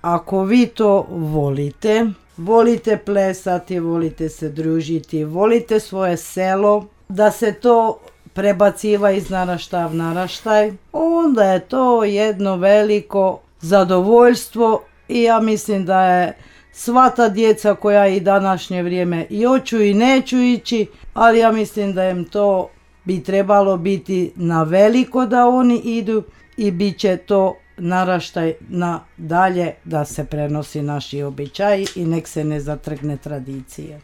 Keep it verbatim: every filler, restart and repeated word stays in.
ako vi to volite, volite plesati, volite se družiti, volite svoje selo, da se to prebaciva iz naraštaja v naraštaj, onda je to jedno veliko zadovoljstvo i ja mislim da je sva ta djeca koja i današnje vrijeme i hoću i neću ići, ali ja mislim da im to bi trebalo biti na veliko da oni idu i bit će to naraštaj na dalje da se prenosi naši običaji i nek se ne zatrgne tradicije.